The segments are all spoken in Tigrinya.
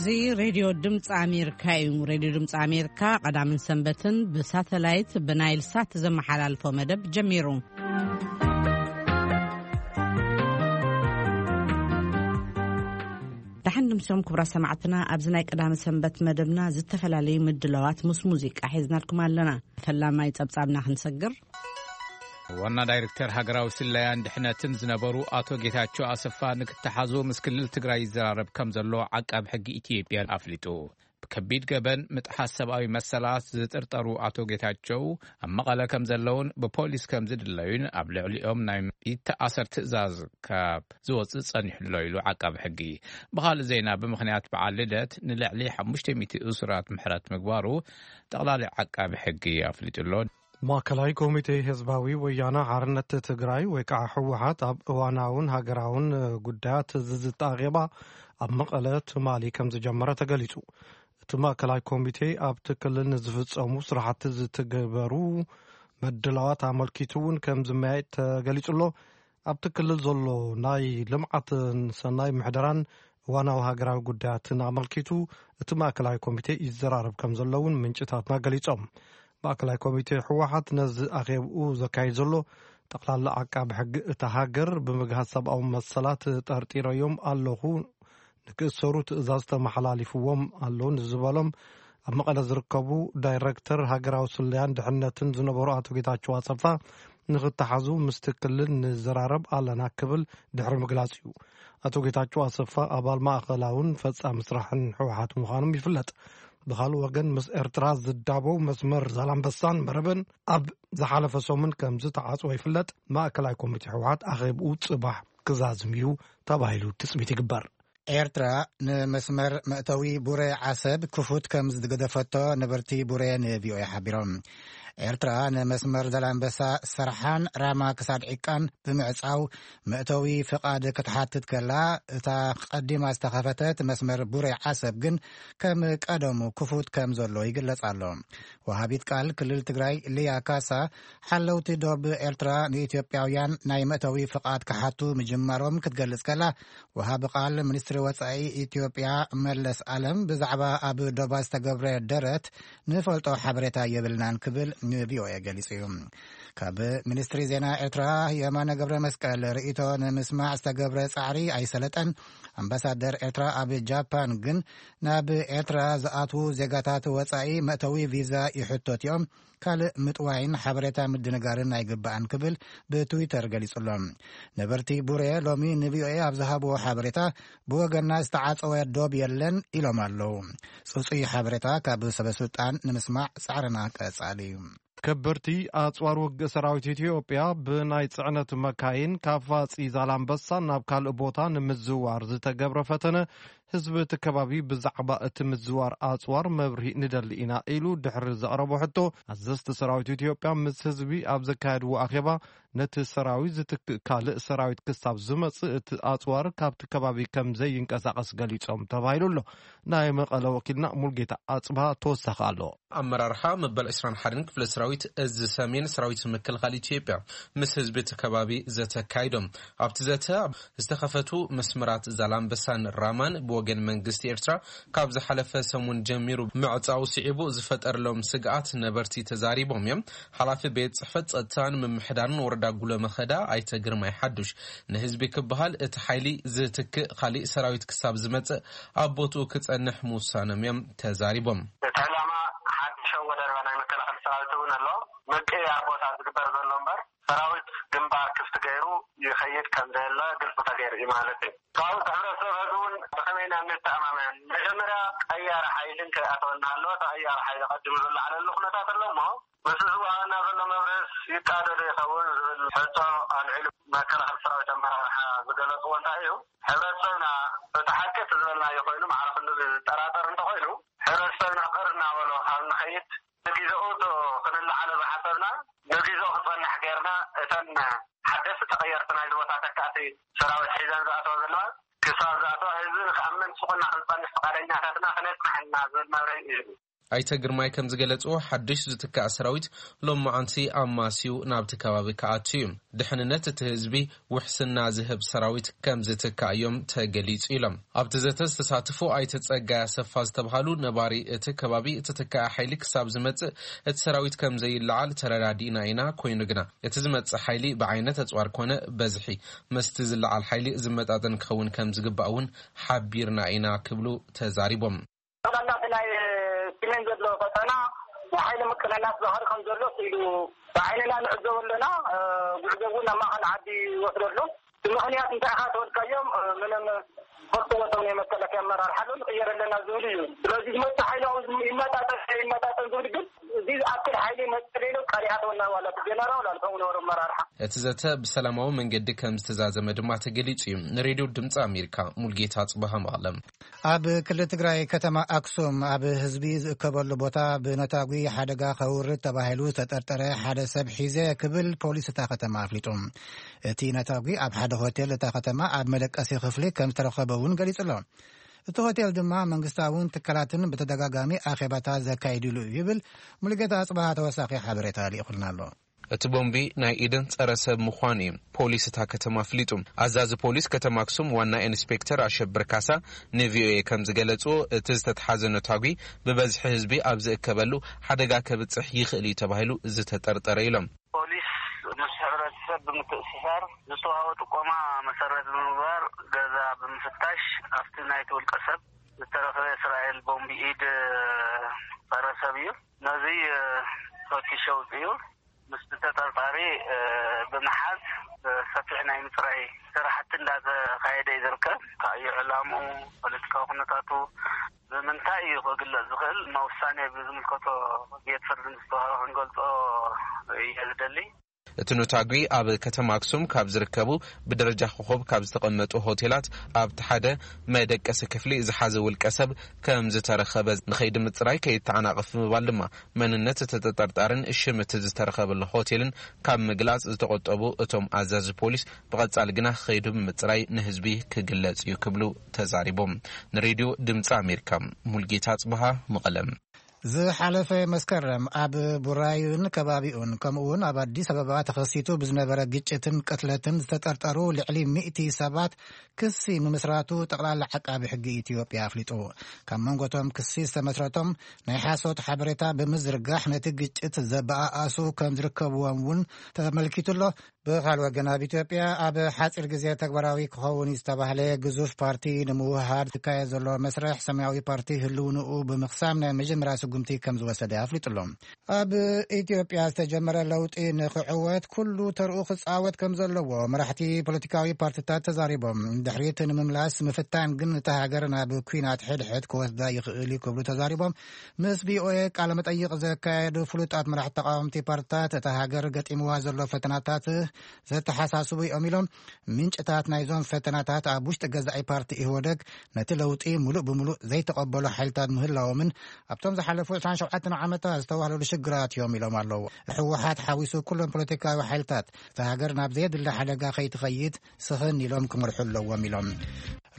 እዚ ሬድዮ ድምፂ ኣሜሪካ እዩ። ሬድዮ ድምፂ ኣሜሪካ ቀዳምን ሰንበትን ብሳተላይት ብናይል ሳት ዘመሓላልፎ መደብ ጀሚሩ። ደሓን ድምሶም ክቡራት ሰማዕትና፣ ኣብዚ ናይ ቀዳመ ሰንበት መደብና ዝተፈላለዩ ምድላዋት ምስ ሙዚቃ ሒዝናልኩም ኣለና። ፈላማይ ጸብጻብና ክንሰግር። ዋና ዳይሬክተር ሃገራዊ ስለያን ድሕነትን ዝነበሩ ኣቶ ጌታቸው ኣሰፋ ንክተሓዙ ምስ ክልል ትግራይ ይዘራረብ ከም ዘሎ ዓቃብ ሕጊ ኢትዮጵያ ኣፍሊጡ። ብከቢድ ገበን ምጥሓስ ሰብኣዊ መሰላት ዝጥርጠሩ ኣቶ ጌታቸው ኣብ መቐለ ከም ዘለውን ብፖሊስ ከም ዝድለዩን ኣብ ልዕሊኦም ናይ ይተኣሰር ትእዛዝ ካብ ዝወፅእ ጸኒሑ ኣሎ ኢሉ ዓቃቢ ሕጊ። ብኻልእ ዜና፣ ብምኽንያት በዓል ልደት ንልዕሊ ሓሙሽተ ሚእቲ እሱራት ምሕረት ምግባሩ ጠቕላሊ ዓቃቢ ሕጊ ኣፍሊጡ ኣሎ። ማእከላይ ኮሚቴ ህዝባዊ ወያነ ሓርነት ትግራይ ወይ ከዓ ህወሓት ኣብ እዋናውን ሃገራውን ጉዳያት ዝዝተ ኣኼባ ኣብ መቐለ ትማሊ ከም ዝጀመረ ተገሊጹ። እቲ ማእከላይ ኮሚቴ ኣብቲ ክልል ንዝፍጸሙ ስራሕቲ ዝትግበሩ ምድላዋት ኣመልኪቱ እውን ከም ዝመያየጥ ተገሊጹ ኣሎ። ኣብቲ ክልል ዘሎ ናይ ልምዓትን ሰናይ ምሕደራን እዋናዊ ሃገራዊ ጉዳያትን ኣመልኪቱ እቲ ማእከላይ ኮሚቴ ይዘራረብ ከም ዘሎ እውን ምንጭታትና ገሊጾም። ማእከላይ ኮሚቴ ህወሓት ነዚ ኣኼብኡ ዘካይድ ዘሎ፣ ጠቕላላ ዓቃቢ ሕጊ እታ ሃገር ብምግሃስ ሰብኣዊ መሰላት ጠርጢረዮም ኣለኹ፣ ንክእሰሩ ትእዛዝ ተመሓላሊፍዎም ኣሎ ንዝበሎም ኣብ መቐለ ዝርከቡ ዳይረክተር ሃገራዊ ስለያን ድሕነትን ዝነበሩ ኣቶ ጌታቸው ኣሰፋ ንክተሓዙ ምስቲ ክልል ንዘራረብ ኣለና ክብል ድሕሪ ምግላጽ እዩ። ኣቶ ጌታቸው ኣሰፋ ኣባል ማእኸላውን ፈጻሚ ስራሕን ህወሓት ምዃኖም ይፍለጥ። ብኻልእ ወገን፣ ምስ ኤርትራ ዝዳበው መስመር ዛላምበሳን መረበን ኣብ ዝሓለፈ ሰሙን ከም ዝተዓጽወ ይፍለጥ። ማእከላይ ኮሚቴ ህወሓት ኣኼብኡ ጽባሕ ክዛዝም እዩ ተባሂሉ ትጽቢት ይግበር። ኤርትራ ንመስመር መእተዊ ቡሬ ዓሰብ ክፉት ከም ዝገደፈቶ ነበርቲ ቡሬ ንቪኦኤ ሓቢሮም። ኤርትራ ንመስመር ዛላምበሳ ሰርሓን ራማ ክሳድ ዒቃን ብምዕጻው መእተዊ ፍቓድ ክትሓትት ከላ፣ እታ ቀዲማ ዝተኸፈተት መስመር ቡሬ ዓሰብ ግን ከም ቀደሙ ክፉት ከም ዘሎ ይግለጽ ኣሎ። ወሃቢት ቃል ክልል ትግራይ ሊያ ካሳ፣ ሓለውቲ ዶብ ኤርትራ ንኢትዮጵያውያን ናይ መእተዊ ፍቓድ ክሓቱ ምጅማሮም ክትገልጽ ከላ፣ ወሃቢ ቃል ሚኒስትሪ ወጻኢ ኢትዮጵያ መለስ ኣለም ብዛዕባ ኣብ ዶባ ዝተገብረ ደረት ንፈልጦ ሓበሬታ የብልናን ክብል ንቪኦኤ ገሊጹ እዩ። ካብ ሚኒስትሪ ዜና ኤርትራ የማነ ገብረ መስቀል ርእይቶ ንምስማዕ ዝተገብረ ጻዕሪ ኣይሰለጠን። ኣምባሳደር ኤርትራ ኣብ ጃፓን ግን ናብ ኤርትራ ዝኣትዉ ዜጋታት ወጻኢ መእተዊ ቪዛ ይሕቶት እዮም፣ ካልእ ምጥዋይን ሓበሬታ ምድንጋርን ኣይግባእን ክብል ብትዊተር ገሊጹ ኣሎ። ነበርቲ ቡሬ ሎሚ ንቪኦኤ ኣብ ዝሃብዎ ሓበሬታ፣ ብወገንና ዝተዓጸወ ዶብ የለን ኢሎም ኣለዉ። ጽጹይ ሓበሬታ ካብ ሰበስልጣን ንምስማዕ ጻዕርና ቀጻሊ እዩ። ከበድቲ ኣጽዋር ውግእ ሰራዊት ኢትዮጵያ ብናይ ጽዕነት መካይን ካብ ፋጺ ዛላምበሳ ናብ ካልእ ቦታ ንምዝዋር ዝተገብረ ፈተነ፣ ህዝቢ እቲ ከባቢ ብዛዕባ እቲ ምዝዋር ኣጽዋር መብርሂ ንደሊ ኢና ኢሉ ድሕሪ ዘቕረቦ ሕቶ፣ ኣዘዝቲ ሰራዊት ኢትዮጵያ ምስ ህዝቢ ኣብ ዘካየድዎ ኣኼባ፣ ነቲ ሰራዊት ዝትክእ ካልእ ሰራዊት ክሳብ ዝመጽእ እቲ ኣጽዋር ካብቲ ከባቢ ከም ዘይንቀሳቐስ ገሊጾም ተባሂሉ ኣሎ። ናይ መቐለ ወኪልና ሙልጌታ ኣጽብሃ ተወሳኺ ኣሎ። ኣመራርሓ መበል ዕስራን ሓደን ክፍለ ሰራዊት እዚ ሰሜን ሰራዊት ምክልኻል ኢትዮጵያ ምስ ህዝቢ እቲ ከባቢ ዘተካይዶም። ኣብቲ ዘተ ዝተኸፈቱ መስመራት ዛላምበሳን ራማን ብወገን መንግስቲ ኤርትራ ካብ ዝሓለፈ ሰሙን ጀሚሩ ምዕጻው ስዒቡ ዝፈጠረሎም ስግኣት ነበርቲ ተዛሪቦም እዮም። ሓላፊ ቤት ጽሕፈት ጸጥታን ምምሕዳርን ወረዳ ጉሎ መኸዳ ኣይተ ግርማይ ሓዱሽ፣ ንህዝቢ ክበሃል እቲ ሓይሊ ዝትክእ ካሊእ ሰራዊት ክሳብ ዝመጽእ ኣብ ቦትኡ ክጸንሕ ምውሳኖም እዮም ተዛሪቦም። እቲ ዕላማ ሓድሽ ኣወዳድባ ናይ መከላኸሊ ሰራዊት እውን ኣሎ። ምቅያር ቦታ ዝግበር ዘሎ እምበር፣ ሰራዊት ግንባር ክፍቲ ገይሩ ይኸይድ ከም ዘየለ ግልፂ ተገይሩ እዩ ማለት እዩ። ካብኡ እቲ ሕብረተሰብ ሕዚ እውን ብኸመይ ኢና እንተኣማመን? መጀመርያ ቀያሪ ሓይሊ ከይኣተወና ኣለዎ። እቲ ቀያሪ ሓይሊ ቀዲሙ ዝለዓለሉ ኩነታት ኣሎ እሞ፣ ምስዚ ዝወሃበና ዘሎ መብርህስ ይጣዶ ዶ ይኸውን ዝብል ሕቶ ኣልዒሉ መከላኸሊ ሰራዊት ኣመራርሓ ዝገለፅዎ እንታይ እዩ? ሕብረተሰብና እቲ ሓቂ እቲ ዝበልናዮ ኮይኑ፣ ማዕረ ክንድዚ ዝጠራጠር እንተኾይኑ፣ ሕብረተሰብና ቅር እናበሎ ካብ ንኸይድ፣ ንግዜኡ እቶ ክንለዓሎ ዝሓሰብና ንግዜኡ ክጸንሕ ጌርና፣ እተን ሓደስቲ ተቐየርቲ ናይዚ ቦታ ተካእቲ ሰራዊት ሒዘን ዝኣተዋ ዘለዋ፣ ክሳብ ዝኣተዋ ህዝቢ ንክኣምን ስቑና ክንጸንሕ ፍቓደኛታትና ክነጽናሕ ኢና ዝብል መብርሂ እዩ። ኣይተ ግርማይ ከም ዝገለጽዎ፣ ሓድሽ ዝትካእ ሰራዊት ሎማዓንቲ ኣማስዩ ናብቲ ከባቢ ክኣቱ እዩ። ድሕንነት እቲ ህዝቢ ውሕስና ዝህብ ሰራዊት ከም ዝትካእ እዮም ተገሊጹ ኢሎም። ኣብቲ ዘተ ዝተሳተፉ ኣይተ ጸጋይ ኣሰፋ ዝተብሃሉ ነባሪ እቲ ከባቢ፣ እቲ ትካእ ሓይሊ ክሳብ ዝመጽእ እቲ ሰራዊት ከም ዘይለዓል ተረዳዲእና ኢና። ኮይኑ ግና እቲ ዝመጽእ ሓይሊ ብዓይነት ኣጽዋር ኮነ በዝሒ መስቲ ዝለዓል ሓይሊ ዝመጣጠን ክኸውን ከም ዝግባእ እውን ሓቢርና ኢና ክብሉ ተዛሪቦም። ጠቕላላ እቲ ናይ ስሜን ዘሎ ቀጠና ናይ ሓይሊ ምቅንናስ ባህሪ ከም ዘሎ ስኢሉ ብዓይንና ንዕዘቦ ኣለና። ጉዕዞ እውን ናብ ማእኸል ዓዲ ይወስዶ ኣሎ። እቲ ምኽንያት እንታይ ኢኻ ተወልካዮም? ምንም ፈልጥዎ፣ እቶም ናይ መከላከያ ኣመራርሓ ኣሎ፣ ንቕየር ኣለና ዝብል እዩ። ስለዚ ዝመፅእ ሓይሊ ይመጣጠን ይመጣጠን ዝብል ግን እዚ ዝኣክል ሓይሊ መፅእ ኢሉ ቃል ይኣተወና ዋላ እቲ ጀነራል ዋላ ከምኡ ነበሩ ኣመራርሓ። እቲ ዘተ ብሰላማዊ መንገዲ ከም ዝተዛዘመ ድማ ተገሊጹ እዩ። ንሬድዮ ድምፂ ኣሜሪካ ሙልጌታ ጽባሃ መቐለም። ኣብ ክልል ትግራይ ከተማ ኣክሱም ኣብ ህዝቢ ዝእከበሉ ቦታ ብነታጒ ሓደጋ ከውርድ ተባሂሉ ዝተጠርጠረ ሓደ ሰብ ሒዘ ክብል ፖሊስ እታ ከተማ ኣፍሊጡ። እቲ ነታጒ ኣብ ሓደ ሆቴል እታ ከተማ ኣብ መደቀሲ ክፍሊ ከም ዝተረኸበ እውን ገሊጹ ኣሎ። እቲ ሆቴል ድማ መንግስታውን ትካላትን ብተደጋጋሚ ኣኼባታት ዘካይድሉ እዩ ይብል። ሙሉጌታ ኣጽባሃ ተወሳኺ ሓበሬታ ልኢኹልና ኣሎ። እቲ ቦምቢ ናይ ኢድን ጸረ ሰብ ምዃኑ እዩ ፖሊስ እታ ከተማ ኣፍሊጡ። ኣዛዚ ፖሊስ ከተማ ኣክሱም ዋና ኢንስፔክተር ኣሸብር ካሳ ንቪኦኤ ከም ዝገለጽዎ፣ እቲ ዝተትሓዘ ነታጒ ብበዝሒ ህዝቢ ኣብ ዝእከበሉ ሓደጋ ከብጽሕ ይኽእል እዩ ተባሂሉ ዝተጠርጠረ ኢሎም። ፖሊስ ምስ ሕብረተሰብ ብምትእስሳር ዝተዋህቦ ጥቆማ መሰረት ብምግባር ገዛ ብምፍታሽ ኣብቲ ናይቲ ውልቀ ሰብ ዝተረኽበ እስራኤል ቦምቢ ኢድ ጸረ ሰብ እዩ። ነዚ ፈቲሹ ኣውጺኡ። ምስቲ ተጠርጣሪ ብምሓዝ ሰፊሕ ናይ ምፅራይ ስራሕቲ እንዳተኻየደ እዩ ዝርከብ። እንታይ እዩ ዕላምኡ፣ ፖለቲካዊ ኩነታቱ ብምንታይ እዩ ክግለፅ ዝኽእል፣ መውሳኔ ብዝምልከቶ ቤት ፍርዲ ምስ ተዋህበ ክንገልፆ እየ ዝደሊ። እቲ ኑታጉ ኣብ ከተማ ኣክሱም ካብ ዝርከቡ ብደረጃ ኮኾብ ካብ ዝተቐመጡ ሆቴላት ኣብቲ ሓደ መደቀሲ ክፍሊ ዝሓዘ ውልቀ ሰብ ከም ዝተረኸበ፣ ንኸይዲ ምፅራይ ከይተዓናቐፍ ብምባል ድማ መንነት እቲ ተጠርጣርን ሽም እቲ ዝተረኸበሉ ሆቴልን ካብ ምግላፅ ዝተቆጠቡ እቶም ኣዛዚ ፖሊስ፣ ብቐፃሊ ግና ከይዱ ብምፅራይ ንህዝቢ ክግለፅ እዩ ክብሉ ተዛሪቦም። ንሬድዮ ድምፂ ኣሜሪካ ሙልጌታ ኣፅብሃ መቐለም። ዝሓለፈ መስከረም ኣብ ቡራዩን ከባቢኡን ከምኡውን ኣብ ኣዲስ ኣበባ ተኸሲቱ ብዝነበረ ግጭትን ቅትለትን ዝተጠርጠሩ ልዕሊ ሚእቲ ሰባት ክሲ ምምስራቱ ጠቕላላ ዓቃቢ ሕጊ ኢትዮጵያ ኣፍሊጡ። ካብ መንጎቶም ክሲ ዝተመስረቶም ናይ ሓሶት ሓበሬታ ብምዝርጋሕ ነቲ ግጭት ዘበኣኣሱ ከም ዝርከብዎም እውን ተመልኪቱ ኣሎ። ብኻል ወገን ኣብ ኢትዮጵያ ኣብ ሓፂር ግዜ ተግባራዊ ክኸውን ዝተባህለ ግዙፍ ፓርቲ ንምውሃድ ዝካየድ ዘሎ መስርሕ ሰማያዊ ፓርቲ ህልውንኡ ብምኽሳም ናይ መጀመርያ ስጉምቲ ከም ዝወሰደ ኣፍሊጡ ኣሎ። ኣብ ኢትዮጵያ ዝተጀመረ ለውጢ ንክዕወት ኩሉ ተርኡ ክፃወት ከም ዘለዎ መራሕቲ ፖለቲካዊ ፓርቲታት ተዛሪቦም። ድሕሪት ንምምላስ ምፍታን ግን እታ ሃገር ናብ ኩናት ሕድሕድ ክወስዳ ይኽእል እዩ ክብሉ ተዛሪቦም። ምስ ቪኦኤ ቃለ መጠይቕ ዘካየዱ ፍሉጣት መራሕቲ ተቃወምቲ ፓርቲታት እታ ሃገር ገጢምዋ ዘሎ ፈተናታት ዘተሓሳስቡ እዮም ኢሎም። ምንጭታት ናይዞም ፈተናታት ኣብ ውሽጢ ገዛኢ ፓርቲ ኢህወደግ ነቲ ለውጢ ሙሉእ ብሙሉእ ዘይተቐበሉ ሓይልታት ምህላዎምን ኣብቶም ዝሓለፉ ዕስራን ሸውዓተን ዓመታት ዝተዋህለሉ ሽግራት እዮም ኢሎም ኣለዉ። ህወሓት ሓዊሱ ኩሎም ፖለቲካዊ ሓይልታት እታ ሃገር ናብ ዘየድሊ ሓደጋ ከይትኸይድ ስኽን ኢሎም ክመርሑ ኣለዎም ኢሎም።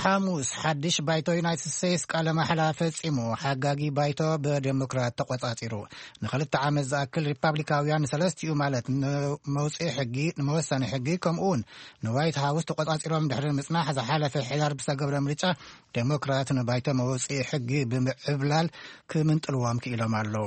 ሓሙስ ሓድሽ ባይቶ ዩናይትድ ስቴትስ ቃለ ማሕላ ፈጺሙ። ሓጋጊ ባይቶ ብዴሞክራት ተቆጻጺሩ። ንክልተ ዓመት ዝኣክል ሪፓብሊካውያን ሰለስቲኡ ማለት ንመውፅኢ ሕጊ፣ ንመወሰኒ ሕጊ ከምኡ እውን ንዋይት ሃውስ ተቆጻጺሮም ድሕሪ ምጽናሕ ዝሓለፈ ሕዳር ብዝተገብረ ምርጫ ዴሞክራት ንባይቶ መውፅኢ ሕጊ ብምዕብላል ክምንጥልዎም ክኢሎም ኣለዉ።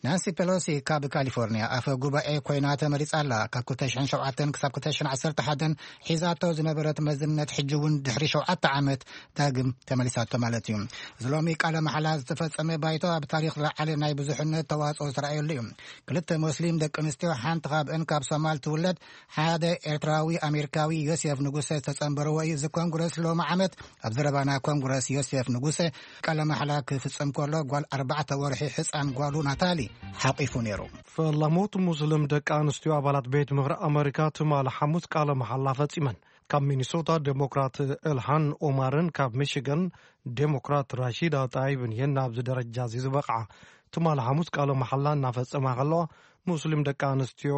ናንሲ ፔሎሲ ካብ ካሊፎርኒያ ኣፈ ጉባኤ ኮይና ተመሪጻ ኣላ። ካብ ክልተ ሽሕን ሸውዓተን ክሳብ ክልተ ሽሕን ዓሰርተ ሓደን ሒዛቶ ዝነበረት መዝነት ሕጂ እውን ድሕሪ ሸውዓተ ዓመት ዳግም ተመሊሳቶ ማለት እዩ። እዚ ሎሚ ቃለ መሓላ ዝተፈጸመ ባይቶ ኣብ ታሪኽ ዝለዓለ ናይ ብዙሕነት ተዋጽኦ ዝተረኣየሉ እዩ። ክልተ ሞስሊም ደቂ ኣንስትዮ፣ ሓንቲ ካብአን ካብ ሶማል ትውለድ፣ ሓደ ኤርትራዊ ኣሜሪካዊ ዮሴፍ ንጉሰ ዝተጸንበርዎ እዩ። እዚ ኮንግረስ ሎሚ ዓመት ኣብ ዘረባና ኮንግረስ ዮሴፍ ንጉሰ ቃለ ማሕላ ክፍጽም ከሎ ጓል ኣርባዕተ ወርሒ ሕጻን ጓሉ ናታሊ ሓቂፉ ነይሩ። ፈላሞት ሙስሊም ደቂ ኣንስትዮ ኣባላት ቤት ምኽሪ ኣመሪካ ትማሊ ሓሙስ ቃለ መሓላ ፈጺመን። ካብ ሚኒሶታ ዴሞክራት ኤልሃን ኦማርን ካብ ሚሽገን ዴሞክራት ራሺዳ ጣይብን እየን ናብዚ ደረጃ እዚ ዝበቕዓ። ትማሊ ሓሙስ ቃለ መሓላ እናፈጸማ ከለዋ፣ ሙስሊም ደቂ ኣንስትዮ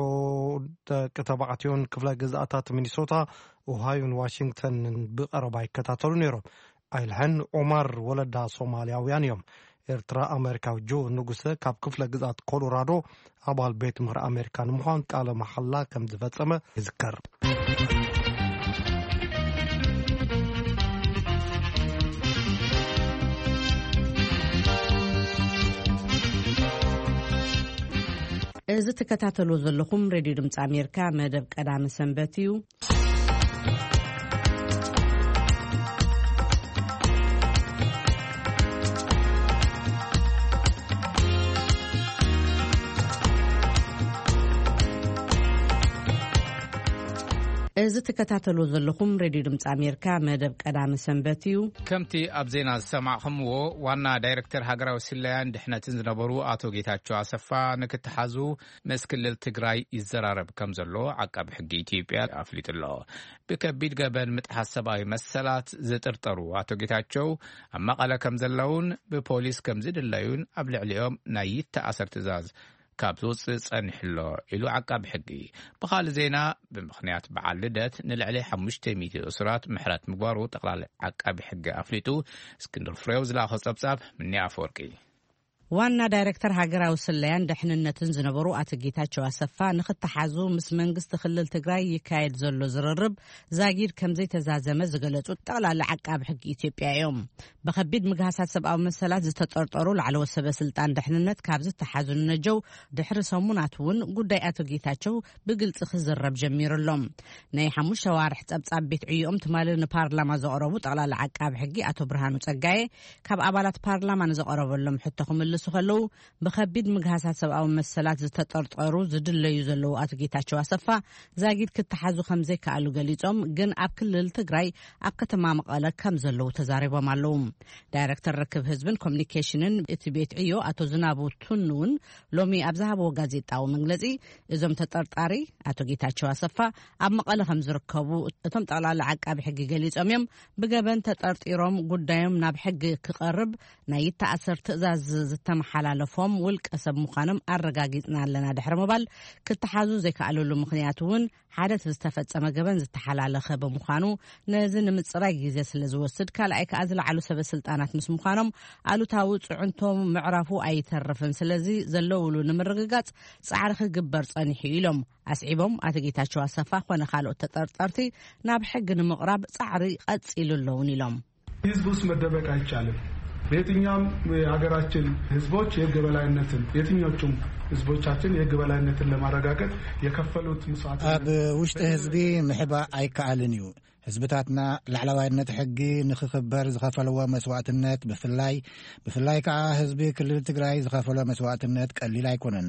ደቂ ተባዕትዮን ክፍለ ግዝኣታት ሚኒሶታ፣ ኦሃዮን ዋሽንግተንን ብቐረባ ይከታተሉ ነይሮም። ኣይልሐን ኦማር ወለዳ ሶማልያውያን እዮም። ኤርትራ ኣሜሪካዊ ጆ ንጉሰ ካብ ክፍለ ግዝኣት ኮሎራዶ ኣባል ቤት ምህር ኣሜሪካ ንምዃን ቃለ መሓላ ከም ዝፈጸመ ይዝከር። እዚ ትከታተልዎ ዘለኹም ሬድዮ ድምፂ ኣሜሪካ መደብ ቀዳመ ሰንበት እዩ። እዚ ትከታተልዎ ዘለኹም ሬድዮ ድምፂ ኣሜሪካ መደብ ቀዳመ ሰንበት እዩ። ከምቲ ኣብ ዜና ዝሰማዕኹምዎ፣ ዋና ዳይሬክተር ሃገራዊ ስለያን ድሕነትን ዝነበሩ ኣቶ ጌታቸው ኣሰፋ ንክተሓዙ ምስ ክልል ትግራይ ይዘራረብ ከም ዘሎ ዓቃቢ ሕጊ ኢትዮጵያ ኣፍሊጡ ኣሎ። ብከቢድ ገበን ምጥሓስ ሰብኣዊ መሰላት ዝጥርጠሩ ኣቶ ጌታቸው ኣብ መቐለ ከም ዘለውን ብፖሊስ ከም ዝድለዩን ኣብ ልዕሊኦም ናይ ይተኣሰር ትእዛዝ ካብ ዝወፅእ ጸኒሑ ኣሎ ኢሉ ዓቃቢ ሕጊ። ብኻልእ ዜና፣ ብምኽንያት በዓል ልደት ንልዕሊ ሓሙሽተ ሚእቲ እሱራት ምሕረት ምግባሩ ጠቕላሊ ዓቃቢ ሕጊ ኣፍሊጡ። እስክንድር ፍሬው ዝለኣኾ ጸብጻብ ምኒ ኣፈወርቂ። ዋና ዳይሬክተር ሃገራዊ ስለያን ደሕንነትን ዝነበሩ ኣቶ ጌታቸው ኣሰፋ ንክተሓዙ ምስ መንግስቲ ክልል ትግራይ ይካየድ ዘሎ ዝርርብ ዛጊድ ከም ዘይተዛዘመ ዝገለጹ ጠቕላሊ ዓቃቢ ሕጊ ኢትዮጵያ እዮም። ብኸቢድ ምግሃሳት ሰብኣዊ መሰላት ዝተጠርጠሩ ላዕለዎት ሰበ ስልጣን ደሕንነት ካብ ዝተሓዙ ንነጀው ድሕሪ ሰሙናት እውን ጉዳይ ኣቶ ጌታቸው ብግልጺ ክዝረብ ጀሚሩ ኣሎ። ናይ ሓሙሽተ ዋርሕ ጸብጻብ ቤት ዕዮኦም ትማሊ ንፓርላማ ዘቕረቡ ጠቕላሊ ዓቃቢ ሕጊ ኣቶ ብርሃኑ ጸጋየ፣ ካብ ኣባላት ፓርላማ ንዘቐረበሎም ሕቶ ክምልሱ ከለዉ፣ ብኸቢድ ምግሃሳት ሰብኣዊ መሰላት ዝተጠርጠሩ ዝድለዩ ዘለዉ ኣቶ ጌታቸው ኣሰፋ ዛጊድ ክተሓዙ ከም ዘይከኣሉ ገሊጾም፣ ግን ኣብ ክልል ትግራይ ኣብ ከተማ መቐለ ከም ዘለዉ ተዛሪቦም ኣለዉ። ዳይሬክተር ርክብ ህዝብን ኮሚኒኬሽንን እቲ ቤት ዕዮ ኣቶ ዝናቡ ቱኑ እውን ሎሚ ኣብ ዝሃብዎ ጋዜጣዊ መግለጺ፣ እዞም ተጠርጣሪ ኣቶ ጌታቸው ኣሰፋ ኣብ መቐለ ከም ዝርከቡ እቶም ጠቕላሊ ዓቃቢ ሕጊ ገሊጾም እዮም። ብገበን ተጠርጢሮም ጉዳዮም ናብ ሕጊ ክቐርብ ናይ ይተኣሰር ትእዛዝ ዝተመሓላለፎም ውልቀ ሰብ ምዃኖም ኣረጋጊጽና ኣለና ድሕሪ ምባል፣ ክተሓዙ ዘይከኣለሉ ምኽንያት እውን ሓደ እቲ ዝተፈጸመ ገበን ዝተሓላለኸ ብምዃኑ፣ ነዚ ንምጽራይ ግዜ ስለ ዝወስድ፣ ካልኣይ ከኣ ዝለዓሉ ሰበ ስልጣናት ምስ ምዃኖም ኣሉታዊ ጽዕንቶ ምዕራፉ ኣይተርፍን። ስለዚ ዘለውሉ ንምርግጋጽ ጻዕሪ ክግበር ጸኒሑ ኢሎም። ኣስዒቦም ኣቶ ጌታቸው ኣሰፋ ኮነ ካልኦት ተጠርጠርቲ ናብ ሕጊ ንምቕራብ ጻዕሪ ቀጺሉ ኣለውን ኢሎም። ህዝብ ውስጥ መደበቅ አይቻልም። በየትኛውም የሀገራችን ህዝቦች የህግ በላይነትን፣ የትኞቹም ህዝቦቻችን የህግ በላይነትን ለማረጋገጥ የከፈሉት መስዋዕትነት ኣብ ውሽጢ ህዝቢ ምሕባእ ኣይከኣልን እዩ። ህዝብታትና ላዕለዋይነት ሕጊ ንክኽበር ዝኸፈለዎ መስዋዕትነት ብፍላይ፣ ብፍላይ ከኣ ህዝቢ ክልል ትግራይ ዝኸፈሎ መስዋዕትነት ቀሊል ኣይኮነን።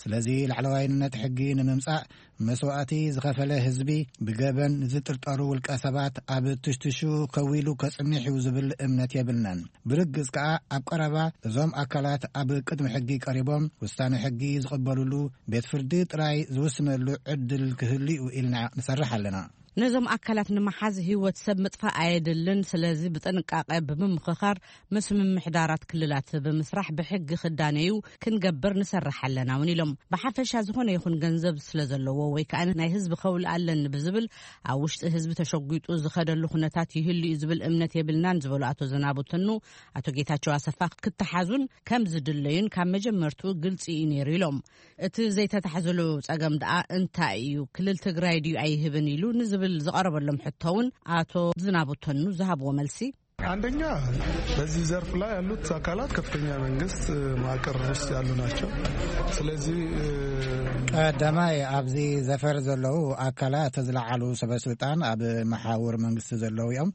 ስለዚ ላዕለዋይነት ሕጊ ንምምጻእ መስዋዕቲ ዝኸፈለ ህዝቢ፣ ብገበን ዝጥርጠሩ ውልቀ ሰባት፣ ኣብ ትሽትሹ ከዊሉ ከጽንሕ እዩ ዝብል እምነት የብልናን። ብርግጽ ከኣ ኣብ ቀረባ እዞም ኣካላት ኣብ ቅድሚ ሕጊ ቀሪቦም ውሳነ ሕጊ ዝቕበሉሉ ቤት ፍርዲ ጥራይ ዝውስነሉ ዕድል ክህሉ እዩ ኢልና ንሰርሕ ኣለና። ነዞም ኣካላት ንምሓዝ ህይወት ሰብ ምጥፋእ ኣየድልን። ስለዚ ብጥንቃቐ ብምምኽኻር ምስ ምምሕዳራት ክልላት ብምስራሕ ብሕጊ ክዳነዩ ክንገብር ንሰርሕ ኣለና እውን ኢሎም። ብሓፈሻ ዝኾነ ይኹን ገንዘብ ስለ ዘለዎ ወይ ከኣ ናይ ህዝቢ ከውል ኣለኒ ብዝብል ኣብ ውሽጢ ህዝቢ ተሸጒጡ ዝኸደሉ ኩነታት ይህሉ እዩ ዝብል እምነት የብልናን ዝበሉ ኣቶ ዝናቡ ትኑ፣ ኣቶ ጌታቸው ኣሰፋ ክተሓዙን ከም ዝድለዩን ካብ መጀመርቱ ግልጺ እዩ ነይሩ ኢሎም። እቲ ዘይተታሕዝሉ ጸገም ደኣ እንታይ እዩ? ክልል ትግራይ ድዩ ኣይህብን ኢሉ ንዝብል ዝቐረበሎም ሕቶ እውን ኣቶ ዝናቡ ተኑ ዝሃብዎ መልሲ፣ አንደኛ በዚህ ዘርፍ ላይ ያሉት አካላት ከፍተኛ መንግስት መዋቅር ውስጥ ያሉ ናቸው። ስለዚህ ቀዳማይ ኣብዚ ዘፈር ዘለዉ ኣካላት ዝለዓሉ ሰበስልጣን ኣብ መሓውር መንግስቲ ዘለዉ እዮም።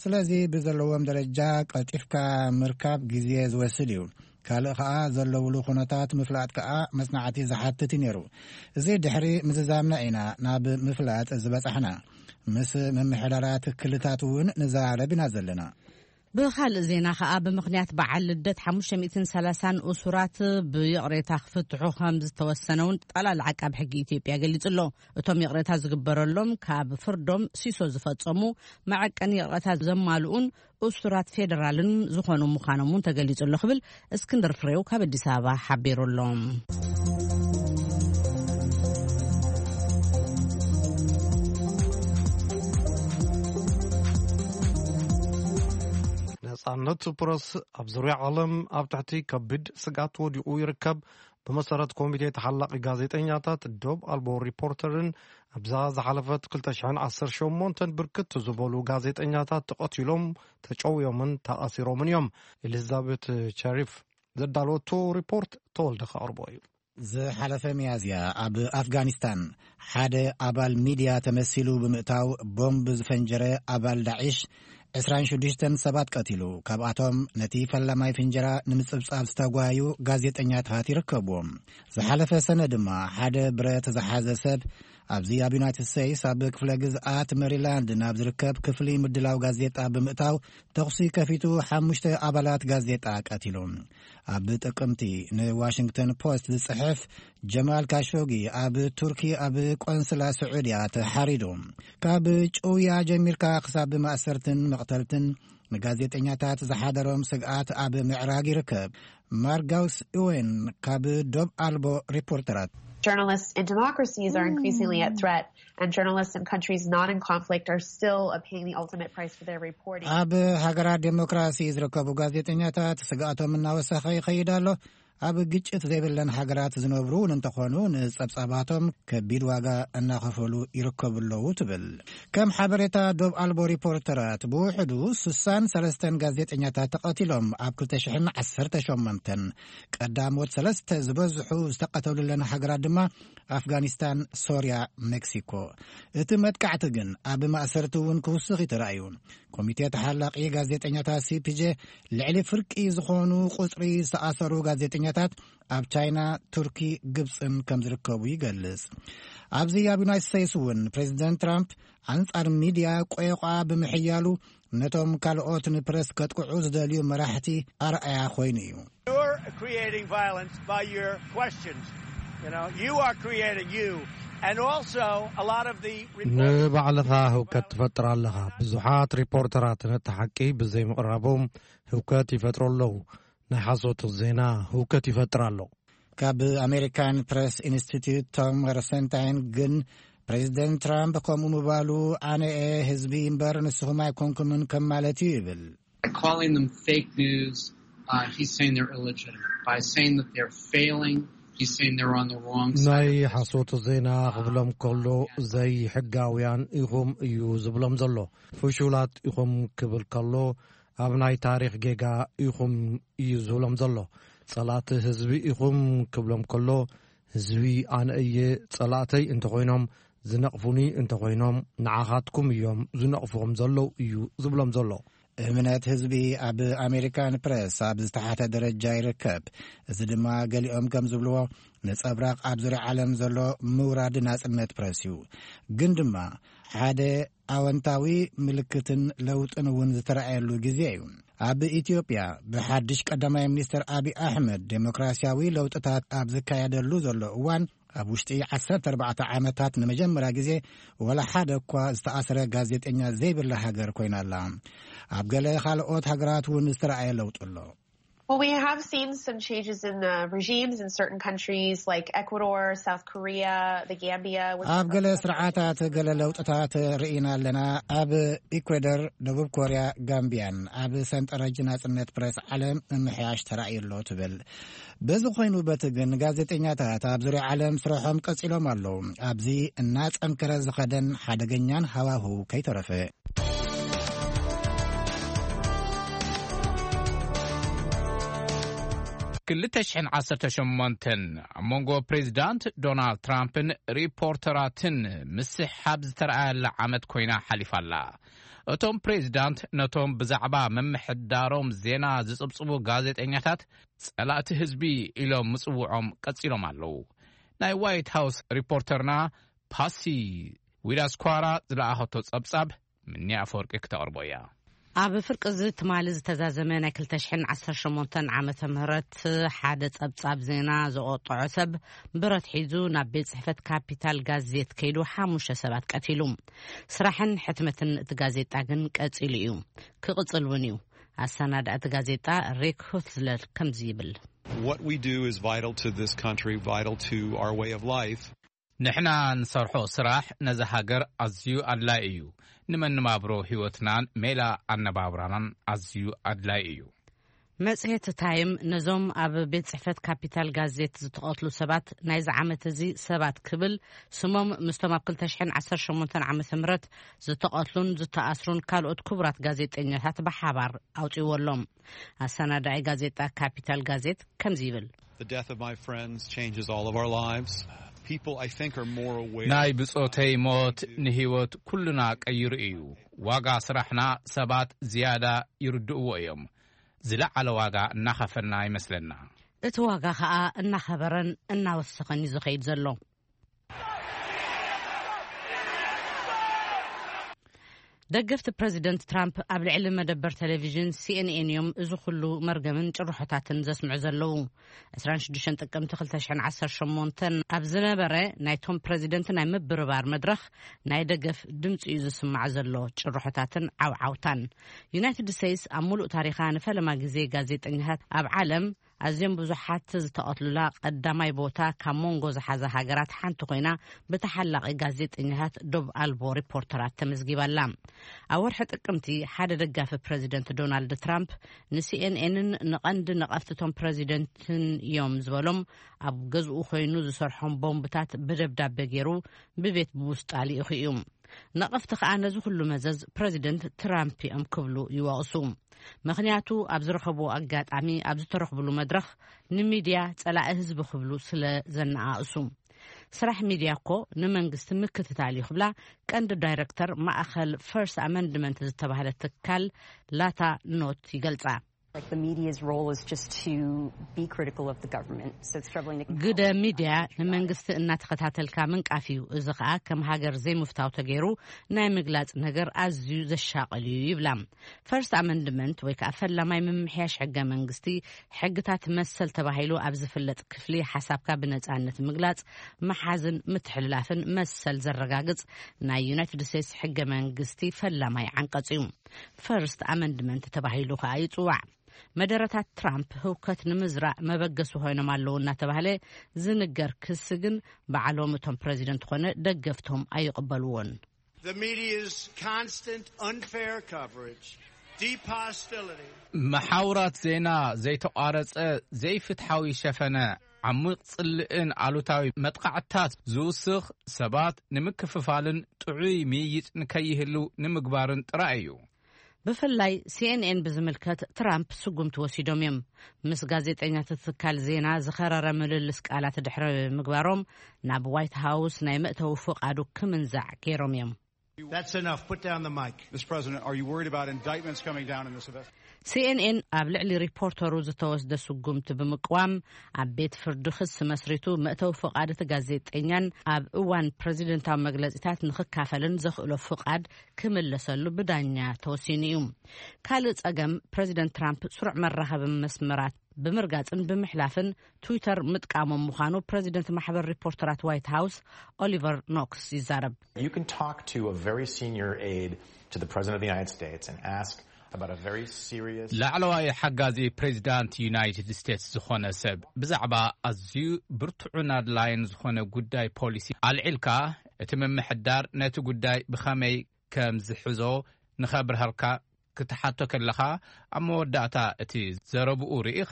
ስለዚ ብዘለዎም ደረጃ ቀልጢፍካ ምርካብ ግዜ ዝወስድ እዩ። ካልእ ከኣ ዘለውሉ ኩነታት ምፍላጥ ከኣ መጽናዕቲ ዝሓትት እዩ ነይሩ። እዚ ድሕሪ ምዝዛምና ኢና ናብ ምፍላጥ ዝበጻሕና። ምስ ምምሕዳራት ክልታት እውን ንዛረብ ኢና ዘለና። ብኻልእ ዜና ከኣ ብምኽንያት በዓል ልደት ሓሙሽተ ሚእትን ሰላሳን እሱራት ብይቕሬታ ክፍትሑ ከም ዝተወሰነ እውን ጠቕላሊ ዓቃብ ሕጊ ኢትዮጵያ ገሊጹ ኣሎ። እቶም ይቕሬታ ዝግበረሎም ካብ ፍርዶም ሲሶ ዝፈጸሙ መዐቀኒ ይቕሬታ ዘማልኡን እሱራት ፌደራልን ዝኾኑ ምዃኖም እውን ተገሊጹ ኣሎ ክብል እስክንድር ፍሬው ካብ ኣዲስ ኣበባ ሓቢሩ ኣሎ። ነጻ ነጻነት ፕረስ ኣብ ዙርያ ዓለም ኣብ ትሕቲ ከቢድ ስግኣት ወዲቑ ይርከብ። ብመሰረት ኮሚቴ ተሓላቒ ጋዜጠኛታት ዶብ ኣልቦ ሪፖርተርን ኣብዛ ዝሓለፈት ክልተ ሽሕን ዓሰርተ ሸሞንተን ብርክት ዝበሉ ጋዜጠኛታት ተቐቲሎም፣ ተጨውዮምን ተኣሲሮምን እዮም። ኤሊዛቤት ቸሪፍ ዘዳለወቶ ሪፖርት ተወልደ ከቕርቦ እዩ። ዝሓለፈ ሚያዝያ ኣብ ኣፍጋኒስታን ሓደ ኣባል ሚድያ ተመሲሉ ብምእታው ቦምብ ዝፈንጀረ ኣባል ዳዒሽ ዕስራን ሽዱሽተን ሰባት ቀቲሉ። ካብኣቶም ነቲ ፈላማይ ፍንጀራ ንምጽብጻብ ዝተጓዩ ጋዜጠኛታት ይርከብዎም። ዝሓለፈ ሰነ ድማ ሓደ ብረት ዝሓዘ ሰብ ኣብዚ ኣብ ዩናይትድ ስቴትስ ኣብ ክፍለ ግዝኣት ሜሪላንድ ናብ ዝርከብ ክፍሊ ምድላው ጋዜጣ ብምእታው ተኹሲ ከፊቱ ሓሙሽተ ኣባላት ጋዜጣ ቀቲሉ። ኣብ ጥቅምቲ ንዋሽንግተን ፖስት ዝጽሕፍ ጀማል ካሾጊ ኣብ ቱርኪ ኣብ ቆንስላ ስዑድያ ተሓሪዱ። ካብ ጭውያ ጀሚርካ ክሳብ ማእሰርትን መቕተልትን ንጋዜጠኛታት ዝሓደሮም ስግኣት ኣብ ምዕራግ ይርከብ። ማርጋውስ እወን ካብ ዶብ ኣልቦ ሪፖርተራት። Journalists in democracies are increasingly at threat, and journalists in countries not in conflict are still paying the ultimate price for their reporting. ኣብ ሃገራት ዴሞክራሲ ዝርከቡ ጋዜጠኛታት ስግኣቶም እናወሰኸ ይኸይድ ኣሎ። ኣብ ግጭት ዘይብለን ሃገራት ዝነብሩ እውን እንተኾኑ ንጸብጻባቶም ከቢድ ዋጋ እናኸፈሉ ይርከቡ ኣለዉ ትብል። ከም ሓበሬታ ዶብ ኣልቦ ሪፖርተራት ብውሕዱ ስሳን ሰለስተን ጋዜጠኛታት ተቐቲሎም ኣብ ክልተ ሽሕን ዓሰርተ ሸሞንተን። ቀዳሞት ሰለስተ ዝበዝሑ ዝተቐተሉለን ሃገራት ድማ ኣፍጋኒስታን፣ ሶርያ፣ ሜክሲኮ። እቲ መጥቃዕቲ ግን ኣብ ማእሰርቲ እውን ክውስኽ እዩ ተራእዩ። ኮሚቴ ተሓላቒ ጋዜጠኛታት ሲፒጄ ልዕሊ ፍርቂ ዝኾኑ ቁጽሪ ዝተኣሰሩ ጋዜጠኛታት ኣብ ቻይና፣ ቱርኪ፣ ግብጽን ከም ዝርከቡ ይገልጽ። ኣብዚ ኣብ ዩናይትድ ስቴትስ እውን ፕሬዚደንት ትራምፕ ኣንጻር ሚድያ ቆየቋ ብምሕያሉ ነቶም ካልኦት ንፕረስ ከጥቅዑ ዝደልዩ መራሕቲ ኣርኣያ ኮይኑ እዩ። You're creating violence by your questions. You know, you are creating you. And also, a lot of the reporters. ንባዕልኻ ህውከት ትፈጥር ኣለኻ። ብዙሓት ሪፖርተራት ነቲ ሓቂ ብዘይምቕራቦም ህውከት ይፈጥሩ ኣለዉ። ናይ ሓሶት ዜና ህውከት ይፈጥር ኣሎ። ካብ ኣሜሪካን ፕረስ ኢንስቲትዩት ቶም ረሰንታይን ግን ፕሬዚደንት ትራምፕ ከምኡ ምባሉ ኣነ እየ ህዝቢ እምበር ንስኹም ኣይኮንኩምን ከም ማለት እዩ ይብል። By calling them fake news, uh, he's saying they're illegitimate. By saying that they're failing, he's saying they're on the wrong side. ናይ ሓሶት ዜና ክብሎም ከሎ ዘይሕጋውያን ኢኹም እዩ ዝብሎም ዘሎ። ፍሹላት ኢኹም ክብል ከሎ ኣብ ናይ ታሪኽ ጌጋ ኢኹም እዩ ዝብሎም ዘሎ። ጸላእቲ ህዝቢ ኢኹም ክብሎም ከሎ ህዝቢ ኣነ እየ ጸላእተይ እንተኾይኖም ዝነቕፉኒ እንተኾይኖም ንዓኻትኩም እዮም ዝነቕፉኹም ዘለዉ እዩ ዝብሎም ዘሎ። እምነት ህዝቢ ኣብ ኣሜሪካን ፕረስ ኣብ ዝተሓተ ደረጃ ይርከብ። እዚ ድማ ገሊኦም ከም ዝብልዎ ነጸብራቕ ኣብ ዙርያ ዓለም ዘሎ ምውራድ ናጽነት ፕረስ እዩ። ግን ድማ ሓደ ኣወንታዊ ምልክትን ለውጥን እውን ዝተረኣየሉ ግዜ እዩ። ኣብ ኢትዮጵያ ብሓድሽ ቀዳማይ ሚኒስትር ኣብይ ኣሕመድ ዴሞክራሲያዊ ለውጥታት ኣብ ዝካየደሉ ዘሎ እዋን ኣብ ውሽጢ ዓሰርተ ኣርባዕተ ዓመታት ንመጀመርያ ግዜ ወላ ሓደ እኳ ዝተኣስረ ጋዜጠኛ ዘይብላ ሃገር ኮይና ኣላ። ኣብ ገለ ካልኦት ሃገራት እውን ዝተረኣየ ለውጢ ኣሎ። Well, we have seen some changes in uh, regimes in certain countries like Ecuador, South Korea, the Gambia. Which ኣብ ገለ ስርዓታት ገለ ለውጥታት ርኢና ኣለና። ኣብ ኢኳዶር፣ ደቡብ ኮርያ፣ ጋምቢያን ኣብ ሰንጠረጅ ናጽነት ፕረስ ዓለም ምምሕያሽ ተራእዩ ኣሎ ትብል። በዚ ኮይኑ በቲ ግን ጋዜጠኛታት ኣብ ዙርያ ዓለም ስርሖም ቀጺሎም ኣለዉ። ኣብዚ እናጸንከረ ዝኸደን ሓደገኛን ሃዋህው ከይተረፈ። ክልተ ሽሕን ዓሰርተ ሸሞንተን ኣብ መንጎ ፕሬዚዳንት ዶናልድ ትራምፕን ሪፖርተራትን ምስሕሓብ ዝተረኣየላ ዓመት ኮይና ሓሊፋ ኣላ። እቶም ፕሬዚዳንት ነቶም ብዛዕባ ምምሕዳሮም ዜና ዝጽብጽቡ ጋዜጠኛታት ጸላእቲ ህዝቢ ኢሎም ምጽውዖም ቀጺሎም ኣለዉ። ናይ ዋይት ሃውስ ሪፖርተርና ፓሲ ዊዳስኳራ ዝለኣኸቶ ጸብጻብ ምንያ ኣፈወርቂ ክተቕርቦ እያ። ኣብ ፍርቂ እዚ ትማሊ ዝተዛዘመ ናይ ክልተ ሽሕን ዓሰርተ ሸሞንተን ዓመተ ምህረት ሓደ ጸብጻብ ዜና ዘቆጠዖ ሰብ ብረት ሒዙ ናብ ቤት ጽሕፈት ካፒታል ጋዜት ከይዱ ሓሙሽተ ሰባት ቀቲሉ። ስራሕን ሕትመትን እቲ ጋዜጣ ግን ቀጺሉ እዩ። ክቕጽል እውን እዩ። ኣሰናዳእቲ ጋዜጣ ሪክ ሁትዝለር ከምዚ ይብል። What we do is vital to this country, vital to our way of life. ንሕና ንሰርሖ ስራሕ ነዛ ሃገር ኣዝዩ ኣድላዪ እዩ። ንመነባብሮ ህይወትናን ሜላ ኣነባብራናን ኣዝዩ ኣድላይ እዩ። መጽሔት ታይም ነዞም ኣብ ቤት ጽሕፈት ካፒታል ጋዜት ዝተቐትሉ ሰባት ናይዚ ዓመት እዚ ሰባት ክብል ስሞም ምስቶም ኣብ ክልተ ሽሕን ዓሰርተ ሸሞንተን ዓመተ ምህረት ዝተቐትሉን ዝተኣስሩን ካልኦት ክቡራት ጋዜጠኛታት ብሓባር ኣውጺዎ ኣሎ። ኣሰናዳኢ ጋዜጣ ካፒታል ጋዜት ከምዚ ይብል። The death of my friends changes all of our lives. People, I think, are more aware ናይ ብጾተይ ሞት ንህይወት ኩልና ቀይሩ እዩ። ዋጋ ስራሕና ሰባት ዝያዳ ይርድእዎ እዮም። ዝለዓለ ዋጋ እናኸፈልና ይመስለና። እቲ ዋጋ ኸኣ እናኸበረን እናወሰኸን እዩ ዝኸይድ ዘሎ። ደገፍቲ ፕረዚደንት ትራምፕ ኣብ ልዕሊ መደበር ቴሌቪዥን ሲኤንኤን እዮም እዚ ኩሉ መርገምን ጭርሖታትን ዘስምዑ ዘለዉ። ዕስራን ሽዱሽተን ጥቅምቲ ክልተ ሽሕን ዓሰርተ ሸሞንተን ኣብ ዝነበረ ናይቶም ፕረዚደንት ናይ ምብርባር መድረኽ ናይ ደገፍ ድምፂ እዩ ዝስማዕ ዘሎ። ጭርሖታትን ዓውዓውታን። ዩናይትድ ስቴትስ ኣብ ሙሉእ ታሪኻ ንፈለማ ግዜ ጋዜጠኛታት ኣብ ዓለም ኣዝዮም ብዙሓት ዝተቐትሉላ ቀዳማይ ቦታ ካብ መንጎ ዝሓዛ ሃገራት ሓንቲ ኮይና፣ ብተሓላቒ ጋዜጠኛታት ዶብ ኣልቦ ሪፖርተራት ተመዝጊባላ። ኣብ ወርሒ ጥቅምቲ ሓደ ደጋፊ ፕረዚደንት ዶናልድ ትራምፕ ንሲኤንኤንን ንቐንዲ ነቐፍትቶም ፕረዚደንትን እዮም ዝበሎም ኣብ ገዝኡ ኮይኑ ዝሰርሖም ቦምብታት ብደብዳቤ ገይሩ ብቤት ብውስጣ ልኢኹ እዩ። ነቐፍቲ ከኣ ነዚ ኩሉ መዘዝ ፕረዚደንት ትራምፕ እዮም ክብሉ ይወቕሱ። ምኽንያቱ ኣብ ዝረኸብዎ ኣጋጣሚ ኣብ ዝተረኽብሉ መድረኽ ንሚድያ ጸላኢ ህዝቢ ክብሉ ስለ ዘነኣእሱ። ስራሕ ሚድያ እኮ ንመንግስቲ ምክትታል እዩ ክብላ ቀንዲ ዳይረክተር ማእኸል ፈርስት ኣመንድመንት ዝተባህለ ትካል ላታ ኖት ይገልጻ። Like the media's role is just to be critical of the government. So it's troubling to ግደ ሚድያ ንመንግስቲ እናተኸታተልካ ምንቃፍ እዩ። እዚ ኸኣ ከም ሃገር ዘይምፍታው ተገይሩ ናይ ምግላጽ ነገር ኣዝዩ ዘሻቕል እዩ ይብላ። ፈርስት ኣመንድመንት ወይ ከዓ ፈላማይ ምምሕያሽ ሕገ መንግስቲ ሕግታት መሰል ተባሂሉ ኣብ ዝፍለጥ ክፍሊ ሓሳብካ ብነጻነት ምግላጽ፣ ምሓዝን ምትሕልላፍን መሰል ዘረጋግጽ ናይ ዩናይትድ ስቴትስ ሕገ መንግስቲ ፈላማይ ዓንቀጽ እዩ። ፈርስት ኣመንድመንት ተባሂሉ ከዓ ይጽዋዕ። መደረታት ትራምፕ ህውከት ንምዝራእ መበገሲ ኮይኖም ኣለዉ እናተባህለ ዝንገር ክሲ ግን ባዕሎም እቶም ፕረዚደንት ኮነ ደገፍቶም ኣይቕበልዎን። The media's constant unfair coverage, deep hostility. መሓውራት ዜና ዘይተቋረጸ ዘይፍትሓዊ ሸፈነ፣ ዓሚቕ ጽልእን ኣሉታዊ መጥቃዕትታት ዝውስኽ፣ ሰባት ንምክፍፋልን ጥዑይ ምይይጥ ንከይህሉ ንምግባርን ጥራይ እዩ። ብፍላይ ሲኤንኤን ብዝምልከት ትራምፕ ስጉምቲ ወሲዶም እዮም። ምስ ጋዜጠኛታት ትካል ዜና ዝኸረረ ምልልስ ቃላት ድሕሪ ምግባሮም ናብ ዋይት ሃውስ ናይ መእተዊ ፍቓዱ ክምንዛዕ ገይሮም እዮም። That's enough. Put down the mic. Mister President, are you worried about indictments coming down in this event? ሲኤንኤን ኣብ ልዕሊ ሪፖርተሩ ዝተወስደ ስጉምቲ ብምቅዋም ኣብ ቤት ፍርዲ ክሲ መስሪቱ መእተዊ ፍቓድ እቲ ጋዜጠኛን ኣብ እዋን ፕረዚደንታዊ መግለጺታት ንኽካፈልን ዘኽእሎ ፍቓድ ክምለሰሉ ብዳኛ ተወሲኑ እዩ። ካልእ ጸገም ፕረዚደንት ትራምፕ ስሩዕ መራኸቢ መስመራት ብምርጋጽን ብምሕላፍን ትዊተር ምጥቃሞም ምዃኑ ፕረዚደንት ማሕበር ሪፖርተራት ዋይት ሃውስ ኦሊቨር ኖክስ ይዛረብ። You can talk to a very senior aide to the President of the United States and ask about a very serious ላዕለዋይ ሓጋዚ ፕሬዚዳንት ዩናይትድ ስቴትስ ዝኾነ ሰብ ብዛዕባ ኣዝዩ ብርቱዕን ኣድላይን ዝኾነ ጉዳይ ፖሊሲ ኣልዒልካ፣ እቲ ምምሕዳር ነቲ ጉዳይ ብኸመይ ከም ዝሕዞ ንኸብርሃልካ ክትሓቶ ከለኻ፣ ኣብ መወዳእታ እቲ ዘረብኡ ርኢኻ፣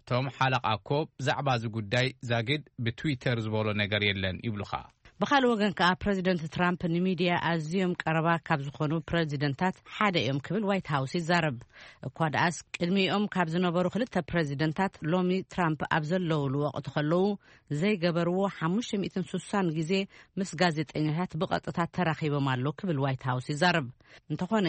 እቶም ሓለቓ እኮ ብዛዕባ እዚ ጉዳይ ዛጊድ ብትዊተር ዝበሎ ነገር የለን ይብሉኻ። ብኻልእ ወገን ከኣ ፕረዚደንት ትራምፕ ንሚድያ ኣዝዮም ቀረባ ካብ ዝኾኑ ፕረዚደንታት ሓደ እዮም ክብል ዋይት ሃውስ ይዛረብ። እኳ ደኣስ ቅድሚኦም ካብ ዝነበሩ ክልተ ፕረዚደንታት ሎሚ ትራምፕ ኣብ ዘለውሉ ወቕቲ ከለዉ ዘይገበርዎ ሓሙሽተ ሚእትን ስሳን ግዜ ምስ ጋዜጠኛታት ብቐጥታ ተራኺቦም ኣሎ ክብል ዋይት ሃውስ ይዛረብ። እንተኾነ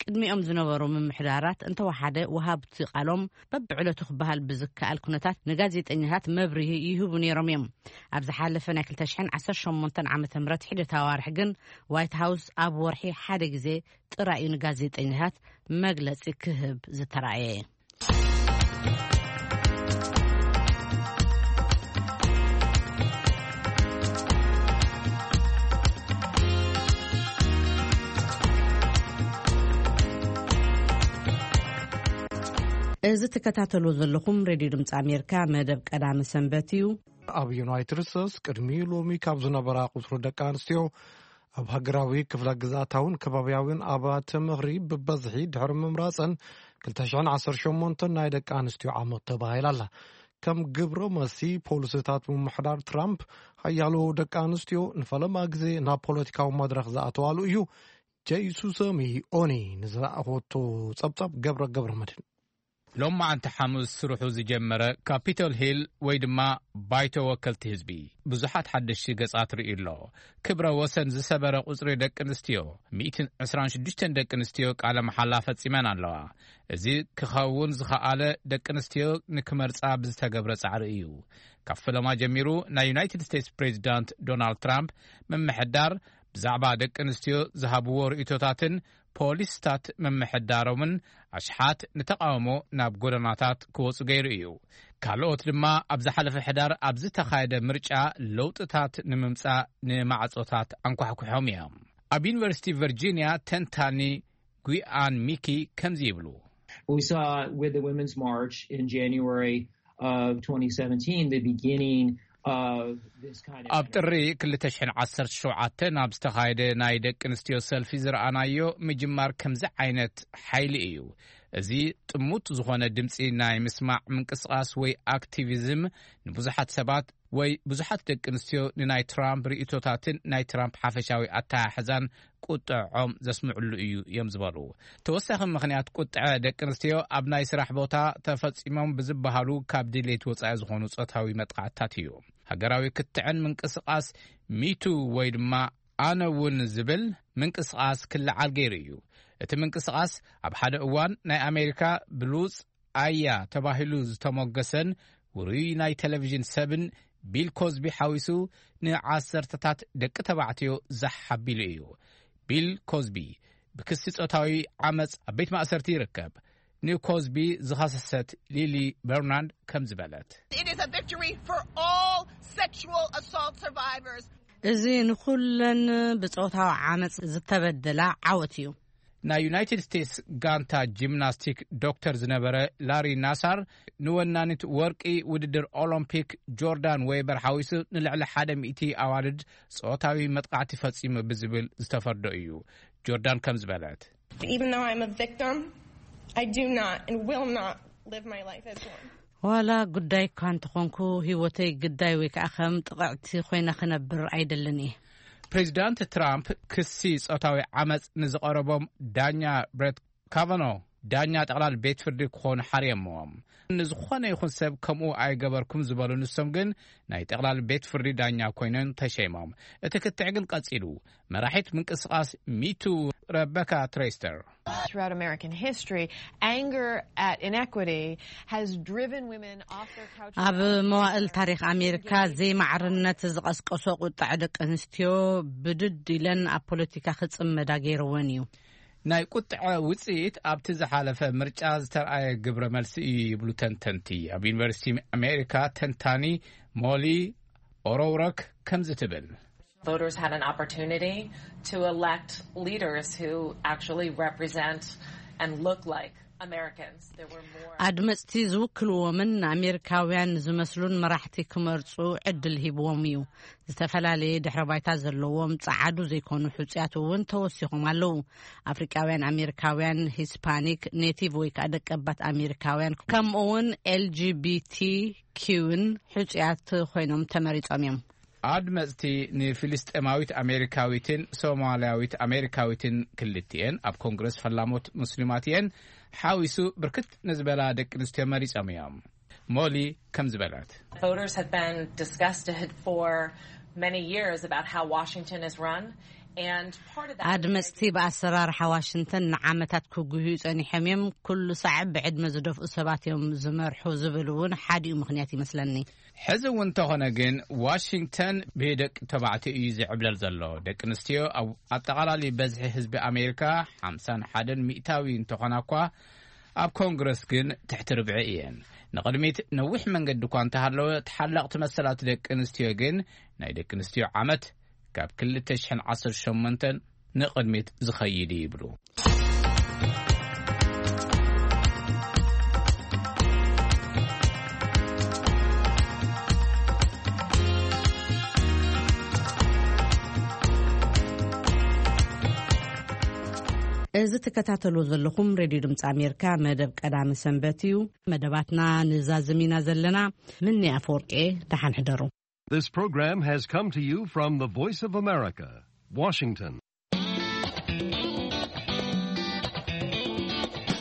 ቅድሚኦም ዝነበሩ ምምሕዳራት እንተወሓደ ወሃብቲ ቃሎም በብዕለቱ ክበሃል ብዝከኣል ኩነታት ንጋዜጠኛታት መብርሂ ይህቡ ነይሮም እዮም። ኣብ ዝሓለፈ ናይ ክልተ ሽሕን ዓሰርተ ሸሞንተን ዓመተ ምህረት ሒደት ኣዋርሕ ግን ዋይት ሃውስ ኣብ ወርሒ ሓደ ግዜ ጥራይ እዩ ንጋዜጠኛታት መግለጺ ክህብ ዝተራእየ። እዚ ትከታተሉ ዘለኹም ሬድዮ ድምፂ ኣሜሪካ መደብ ቀዳመ ሰንበት እዩ። ኣብ ዩናይትድ ስቴትስ ቅድሚ ሎሚ ካብ ዝነበራ ቁፅሪ ደቂ ኣንስትዮ ኣብ ሃገራዊ ክፍለ ግዝኣታውን ከባቢያውን ኣብያተ ምኽሪ ብበዝሒ ድሕሪ ምምራጸን ክልተ ሽሕን ዓሰርተ ሸሞንተን ናይ ደቂ ኣንስትዮ ዓመት ተባሂላ ኣላ። ከም ግብረ መልሲ ፖሊሲታት ምምሕዳር ትራምፕ፣ ሓያሎ ደቂ ኣንስትዮ ንፈለማ ግዜ ናብ ፖለቲካዊ መድረኽ ዝኣተዋሉ እዩ። ጀይሱ ሰሚ ኦኒ ንዝለኣኾቶ ጸብጻብ ገብረ ገብረ መድህን። ሎማዓንቲ ሓሙስ ስርሑ ዝጀመረ ካፒቶል ሂል ወይ ድማ ባይቶ ወከልቲ ህዝቢ ብዙሓት ሓደሽቲ ገጻት ርእዩ ኣሎ። ክብረ ወሰን ዝሰበረ ቁጽሪ ደቂ ኣንስትዮ፣ ሚእትን ዕስራን ሽዱሽተን ደቂ ኣንስትዮ ቃለ መሓላ ፈጺመን ኣለዋ። እዚ ክኸውን ዝኸኣለ ደቂ ኣንስትዮ ንክመርጻ ብዝተገብረ ጻዕሪ እዩ። ካብ ፈለማ ጀሚሩ ናይ ዩናይትድ ስቴትስ ፕሬዚዳንት ዶናልድ ትራምፕ ምምሕዳር ብዛዕባ ደቂ ኣንስትዮ ዝሃብዎ ርእይቶታትን ፖሊስታት ምምሕዳሮምን ኣሽሓት ንተቓውሞ ናብ ጎደናታት ክወጹ ገይሩ እዩ። ካልኦት ድማ ኣብ ዝሓለፈ ሕዳር ኣብ ዝተኻየደ ምርጫ ለውጥታት ንምምጻእ ንማዕጾታት ኣንኳሕኩሖም እዮም። ኣብ ዩኒቨርሲቲ ቨርጂኒያ ተንታኒ ጉያን ሚኪ ከምዚ ይብሉ። We saw with the Women's March in January of twenty seventeen, the beginning of this kind of ኣብ ጥሪ ክልተ ሽሕን ዓሰርተ ሸውዓተን ኣብ ዝተኻየደ ናይ ደቂ ኣንስትዮ ሰልፊ ዝረኣናዮ ምጅማር ከምዚ ዓይነት ሓይሊ እዩ። እዚ ጥሙት ዝኾነ ድምፂ ናይ ምስማዕ ምንቅስቓስ ወይ ኣክቲቪዝም ንብዙሓት ሰባት ወይ ብዙሓት ደቂ ኣንስትዮ ንናይ ትራምፕ ርእይቶታትን ናይ ትራምፕ ሓፈሻዊ ኣተሓሕዛን ቁጥዖም ዘስምዕሉ እዩ እዮም ዝበሉ። ተወሳኺ ምኽንያት ቁጥዐ ደቂ ኣንስትዮ ኣብ ናይ ስራሕ ቦታ ተፈጺሞም ብዝበሃሉ ካብ ድሌት ወጻኢ ዝኾኑ ጾታዊ መጥቃዕትታት እዩ። ሃገራዊ ክትዕን ምንቅስቓስ ሚቱ ወይ ድማ ኣነ እውን ዝብል ምንቅስቓስ ክለዓል ገይሩ እዩ። እቲ ምንቅስቓስ ኣብ ሓደ እዋን ናይ ኣሜሪካ ብሉጽ ኣያ ተባሂሉ ዝተሞገሰን ውሩይ ናይ ቴሌቪዥን ሰብን ቢል ኮዝቢ ሓዊሱ ንዓሰርተታት ደቂ ተባዕትዮ ዛሕ ኣቢሉ እዩ። ቢል ኮዝቢ ብክሲ ጾታዊ ዓመጽ ኣብ ቤት ማእሰርቲ ይርከብ። ንኮዝቢ ዝኸሰሰት ሊሊ በርናርድ ከም ዝበለት። It is a victory for all sexual assault survivors. እዚ ንኹለን ብጾታዊ ዓመጽ ዝተበደላ ዓወት እዩ። ናይ ዩናይትድ ስቴትስ ጋንታ ጂምናስቲክ ዶክተር ዝነበረ ላሪ ናሳር ንወናኒት ወርቂ ውድድር ኦሎምፒክ ጆርዳን ዌበር ሓዊሱ ንልዕሊ ሓደ ሚእቲ ኣዋልድ ጾታዊ መጥቃዕቲ ፈጺሙ ብዝብል ዝተፈርዶ እዩ። ጆርዳን ከም ዝበለት። Even though I'm a victim, I do not and will not live my life as one. ዋላ ጉዳይ እኳ እንተኾንኩ፣ ህይወተይ ግዳይ ወይ ከዓ ከም ጥቕዕቲ ኮይነ ክነብር ኣይደልን እየ። ፕሬዚዳንት ትራምፕ ክሲ ጾታዊ ዓመፅ ንዝቐረቦም ዳኛ ብሬት ካቫኖ፣ ዳኛ ጠቕላል ቤት ፍርዲ ክኾኑ ሓርየምዎም። ንዝኾነ ይኹን ሰብ ከምኡ ኣይገበርኩም ዝበሉ ንሶም ግን ናይ ጠቕላል ቤት ፍርዲ ዳኛ ኮይኖም ተሸይሞም። እቲ ክትዕ ግን ቀጺሉ። መራሒት ምንቅስቓስ ሚቱ ረበካ ትሬስተር። Throughout American history, anger at inequity has driven women off their couches. ኣብ መዋእል ታሪኽ ኣሜሪካ፣ ዘይማዕርነት ዝቐስቀሶ ቁጣዕ ደቂ ኣንስትዮ ብድድ ኢለን ኣብ ፖለቲካ ክጽመዳ ገይርወን እዩ። ናይ ቁጥዐ ውጽኢት ኣብቲ ዝሓለፈ ምርጫ ዝተርኣየ ግብረ መልሲ እዩ ይብሉ ተንተንቲ። ኣብ ዩኒቨርሲቲ ኣሜሪካ ተንታኒ ሞሊ ኦሮውረክ ከምዚ ትብል። Voters had an opportunity to elect leaders who actually represent and look like Americans. There were more ኣድመፅቲ ዝውክልዎምን ንኣሜሪካውያን ዝመስሉን መራሕቲ ክመርፁ ዕድል ሂብዎም እዩ። ዝተፈላለየ ድሕረ ባይታ ዘለዎም ፃዓዱ ዘይኮኑ ሕፁያት እውን ተወሲኾም ኣለዉ። ኣፍሪቃውያን ኣሜሪካውያን፣ ሂስፓኒክ፣ ኔቲቭ ወይ ከዓ ደቀባት ኣሜሪካውያን፣ ከምኡ እውን ኤልጂቢቲ ኪውን ሕፁያት ኮይኖም ተመሪፆም እዮም። ኣድመፅቲ ንፊልስጤማዊት ኣሜሪካዊትን ሶማልያዊት ኣሜሪካዊትን፣ ክልቲኤን ኣብ ኮንግረስ ፈላሞት ሙስሊማት እየን፣ ሓዊሱ ብርክት ንዝበላ ደቂ ኣንስትዮ መሪፆም እዮም። ሞሊ ከም ዝበለት። Voters have been disgusted for many years about how Washington is run, and part of that is ኣድመፅቲ ብኣሰራርሓ ዋሽንግተን ንዓመታት ክጉህዩ ፀኒሖም እዮም። ኩሉ ሳዕ ብዕድመ ዝደፍኡ ሰባት እዮም ዝመርሑ ዝብል እውን ሓዲኡ ምኽንያት ይመስለኒ። ሕዚ እውን እንተኾነ ግን ዋሽንግተን ብደቂ ተባዕትዮ እዩ ዝዕብለል ዘሎ። ደቂ ኣንስትዮ ኣብ ኣጠቓላሊ በዝሒ ህዝቢ ኣሜሪካ ሓምሳን ሓደን ሚእታዊ እንተኾና እኳ ኣብ ኮንግረስ ግን ትሕቲ ርብዒ እየን። ንቕድሚት ነዊሕ መንገዲ እኳ እንተሃለወ፣ ተሓለቕቲ መሰላት ደቂ ኣንስትዮ ግን ናይ ደቂ ኣንስትዮ ዓመት ካብ ክልተ ሽሕን ዓሰርተ ሸሞንተን ንቕድሚት ዝኸይድ እዩ ይብሉ። እዚ ትከታተሉ ዘለኹም ሬድዮ ድምፂ ኣሜሪካ መደብ ቀዳሚ ሰንበት እዩ። መደባትና ንዛዝም ኢና ዘለና። ምኒ ኣፈወርቂ፣ ደሓን ሕደሩ። This program has come to you from the Voice of America, Washington.